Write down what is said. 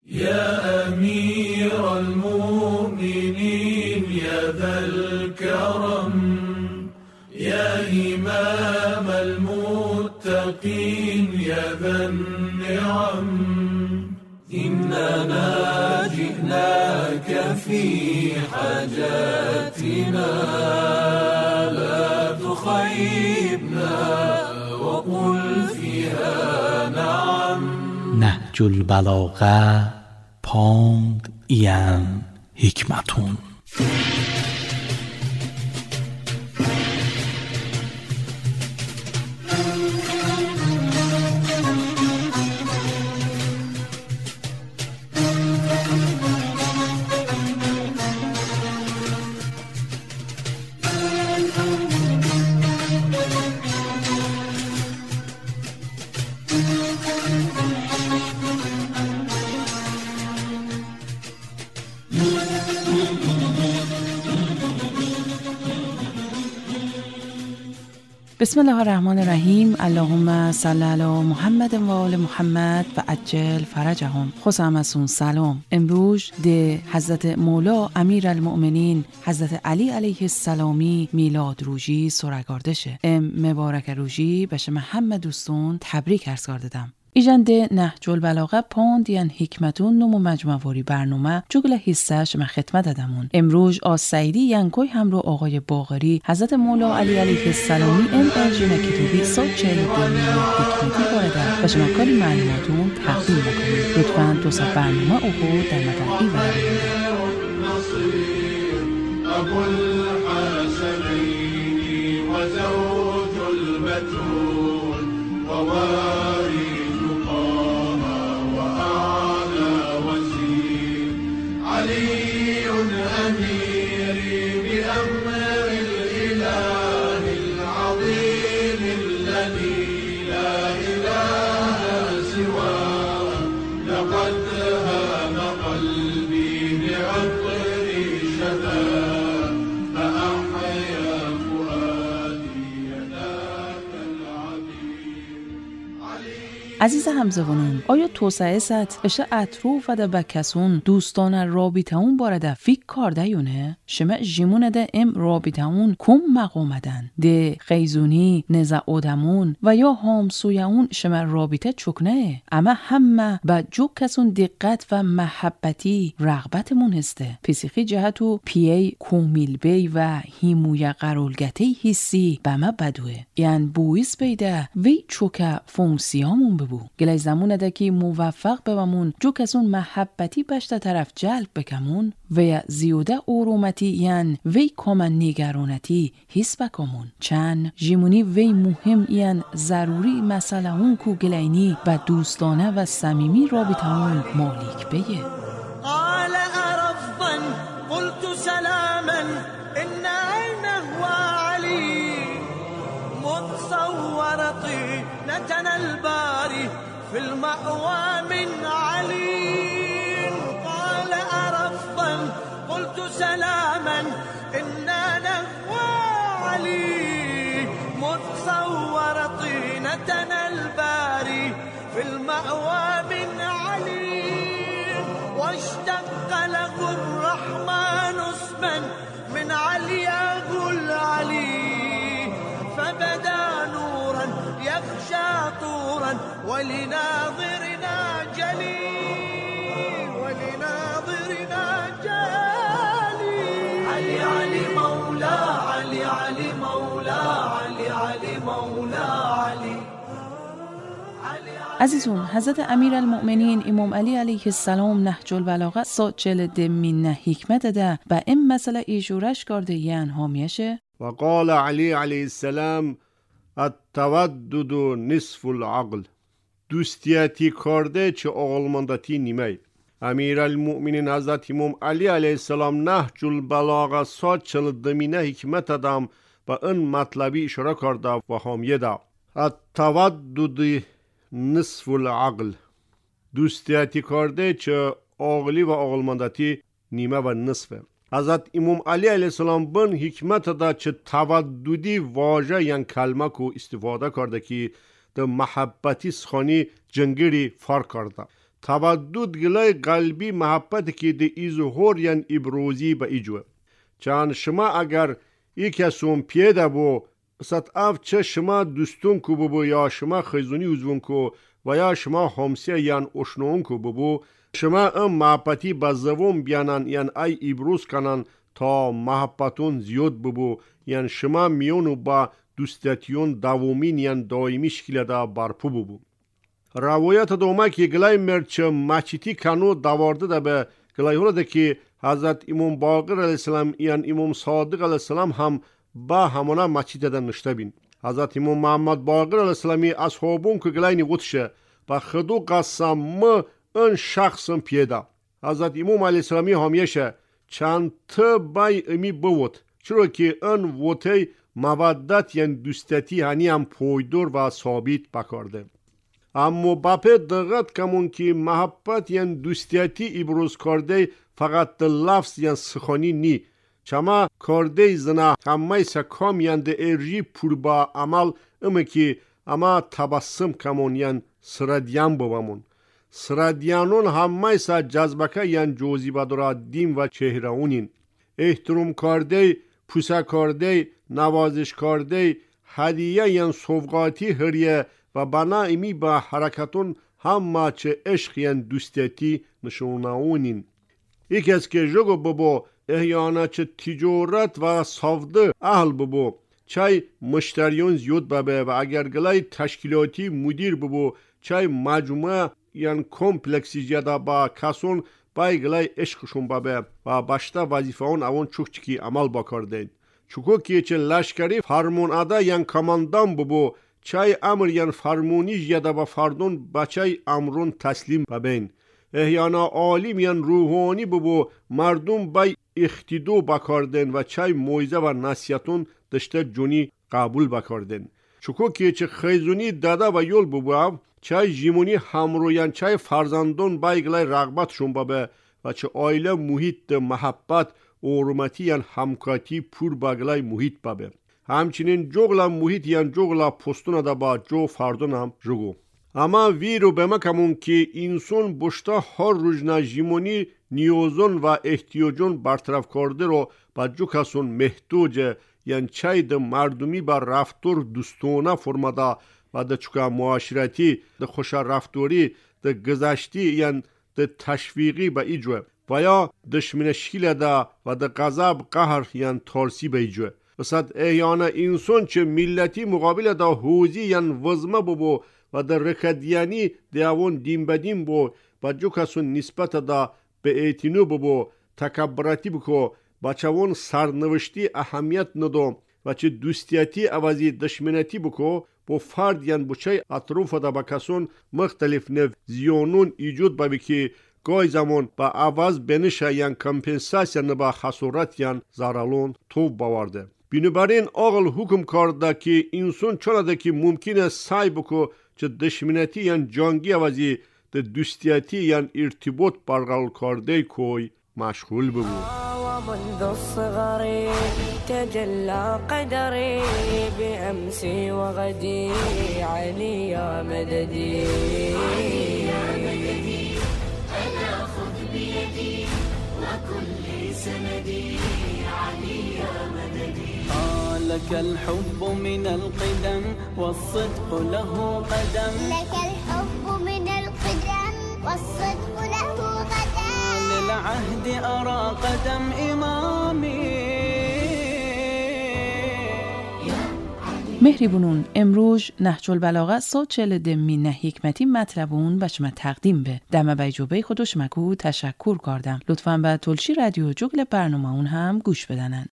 يا أمير المؤمنين يا ذا الكرم يا إمام المتقين يا ذا النعم إننا جئناك في حاجاتنا لا تخيبنا وقل فيها نعم. نهج البلاغه پاند این حکمتون. بسم الله الرحمن الرحیم. اللهم صل علی محمد و آل محمد و عجل فرجهم. خوش آمدون سلام. امروز ده حضرت مولا امیرالمؤمنین حضرت علی علیه السلامی میلاد روژی سرگاردشه. ام مبارک روژی به شما همه دوستون تبریک عرض کردم. ایجنده نهج البلاغه پاند یعنی حکمتون نمو مجموعه برنامه جگل حصه شما خدمت دادمون. امروز آز سعیدی ینکوی هم رو آقای باقری حضرت مولا علی علیه السلامی ام ارجین کتابی سال 42 حکمتی وارده و شما کاری معلوماتون تقدیم بکنید. لطفاً دو ساعت برنامه اوهو در مدن ای وارده. عزیز همزبانون، آیا توسعه ست اشه اطروف ده بکسون دوستان رابطه بارده فیک کارده یونه؟ شما جیمونه ده ام رابطه کم مقامدن ده خیزونی نزع آدمون و یا همسویه اون شما رابطه چکنه، اما همه با جو کسون دقت و محبتی رغبتمون هسته. پسیخی جهتو پیه کومیل بی و هیموی قرولگته حسی به ما بدوه، یعنی بویس بیده وی چوکه فونکسیامون ببو. گلای زمونه ده که موفق بمون جو کسون محبتی بشته طرف جلب بکمون و زیوده اورومتی یعنی وی کامن نگرانتی حس بکمون. چند جیمونی وی مهم یعنی ضروری مسئله اون کو گلینی و دوستانه و صمیمی رابطه اون مالک بیه. قال ارفضا قلت سلاما ان عينه علي متصور طينتنا الباري في المأوى من علي. قال أرفضا قلت سلاما إنا نهوى علي متصور طينتنا الباري في المأوى من علي. واشتق له الرحمن اسما من علياه العلي فبدا نورا يخشى طورا ولناظرنا جلي ولناظرنا جلي. علي علي مولا علي علي مولا علي علي مولا علي. عزیزون، حضرت امیرالمؤمنین امام علی علیه السلام نهج البلاغه سا 42 من حکمت ده و این مسئله ایجورش کرده یعنی هامیشه. وقال علی علیه السلام التودد نصف العقل. دوستیتی کرده چه عقلمندتی نیمه. امیرالمؤمنین حضرت امام علی علیه السلام نهج البلاغه سا 42 من حکمت دم و این مطلبی اشاره کرده و حامیه ده. التودد نصف العقل. دوستیتی کرده چه عقلی و عقلمندتی نیمه و نصفه. حضرت امام علی علیه السلام بن حکمت دا چه توددی واژه یعنی کلمه کو استفاده کرده که در محبتی سخانی جنگیری فرق کرده. تودد گلای قلبی محبت که ده ایزهور ین ابروزی به ایجوه. چان شما اگر ای کسون پیده بو ست اف چه شما دوستون کو ببو یا شما خیزونی عضوون کو و یا شما همسیه یان اشنون کو ببو شما ام محبتی به زبون بیانن یان ای ابروز کنن تا محبتون زیاد ببو یان شما میونو با دوستیتیون دومین یان دائمی شکل دا برپو ببو. روایت دوما که گلای مرچ مچیتی کنو دوارده ده به گلای هوله ده که حضرت امام باقر علیه السلام یان امام صادق علیه السلام هم با همانا مچیت ده نشته بین. حضرت امام محمد باقر علیه السلامی اصحابون که گلای نیوتشه و خدو قسم ما ان شخصم پیدا. حضرت امام علیه السلامی همیشه چند تا بای امی بود چرا که ان وطی مودت یعنی دوستتی هنی هم پایدار و ثابت بکارده. اما بپه دقت کمون که محبت یعنی دوستیتی ابروز کرده فقط لفظ یعنی سخانی نی چما کرده زنا همه سکام یعنی ارجی پر با عمل امه که اما تبسم کمون یعنی سردیان بابامون. سردیانون همه سا جذبکه یعنی جوزیبه دارا دین و چهره اونین. احترام کرده، پوسه کرده، نوازش کرده، هدیه یعنی سوغاتی هریه و بنا امی با حرکتون همه چه عشق یعنی دوستیتی نشونه. یکی از که جگو بابا احیانا چه تجارت و سوده اهل بابا چای مشتریون زیاد بابا و اگر گلای تشکیلاتی مدیر بابا چای مجموعه یعنی کمپلکسی جدا با کسون بای گلای عشقشون بابا و باشتا وظیفه اون اون چوک چکی عمل بکردن. چوکو که چه لشکری فرمون ادا یعنی کماندان بابا چای امر یعنی فرمونی جدا با فردون بچای امرون تسلیم بابین. احیانا عالم یعنی روحانی بابا مردم بای اختیدو بکردن و چای موعظه و نصیحتون دشته جونی قبول بکردن. چوکو که چه خیزونی داده و یول بابا چای جیمونی همرویان چای فرزندون بای گلای رغبتشون بابا و چه آیله محیط محبت اورمتی یعنی همکاتی پور باگلای محیط بابا. همچنین جغلا محیط یعنی جغلا پستون دا با جو فردون هم جگو. اما ویرو به مکمون که انسان بشتا هر روزنا جیمونی نیازون و احتیاجون برطرف کرده رو با جو کسون محتوجه یعنی چای ده مردمی با رفتار دوستانه فرماده و ده چکا معاشرتی ده خوش رفتاری ده گذشتی یعنی ده تشویقی به ایجوه و یا دشمن شکل ده و ده غضب قهر یعنی تارسی به ایجوه. بسد احیانا انسان چه ملتی مقابل ده حوزی یعنی وزمه ببو و ده رکدیانی ده اوان دین بدین بو و جو کسون نسبت ده به اعتنو ببو تکبراتی بکو بچوان سرنوشتی اهمیت ندو و چه دوستیتی عوضی دشمنتی بکو با فرد یعنی بچه اطراف ده با کسون مختلف نو زیانون ایجاد ببی که گای زمان با عوض بنشه یعنی کمپنساسیا با خسارت یعنی ضررون توب باورده. بنابراین آقل حکم کرده که انسان چرا ده که ممکنه سعی بکو چه دشمنتی یعنی جنگی عوضی ده دوستیتی یعنی ارتباط برقرار کرده کوی مشغول ببو. ومنذ الصغر تجلى قدري بأمسي وغدي علي يا مددي علي يا مددي ألا خذ بيدي وكل سندي علي يا مددي. لك الحب من القدم والصدق له قدم لك الحب من القدم والصدق له قدم للعهد أرى قدم إمامي. مهریبونون امروز نهج البلاغه 140 دمی نه حکمتی مطلبون به شما تقدیم به دم بیجوبه خودش مکو تشکر کردم. لطفاً به تلشی رادیو جگل برنامه اون هم گوش بدنن.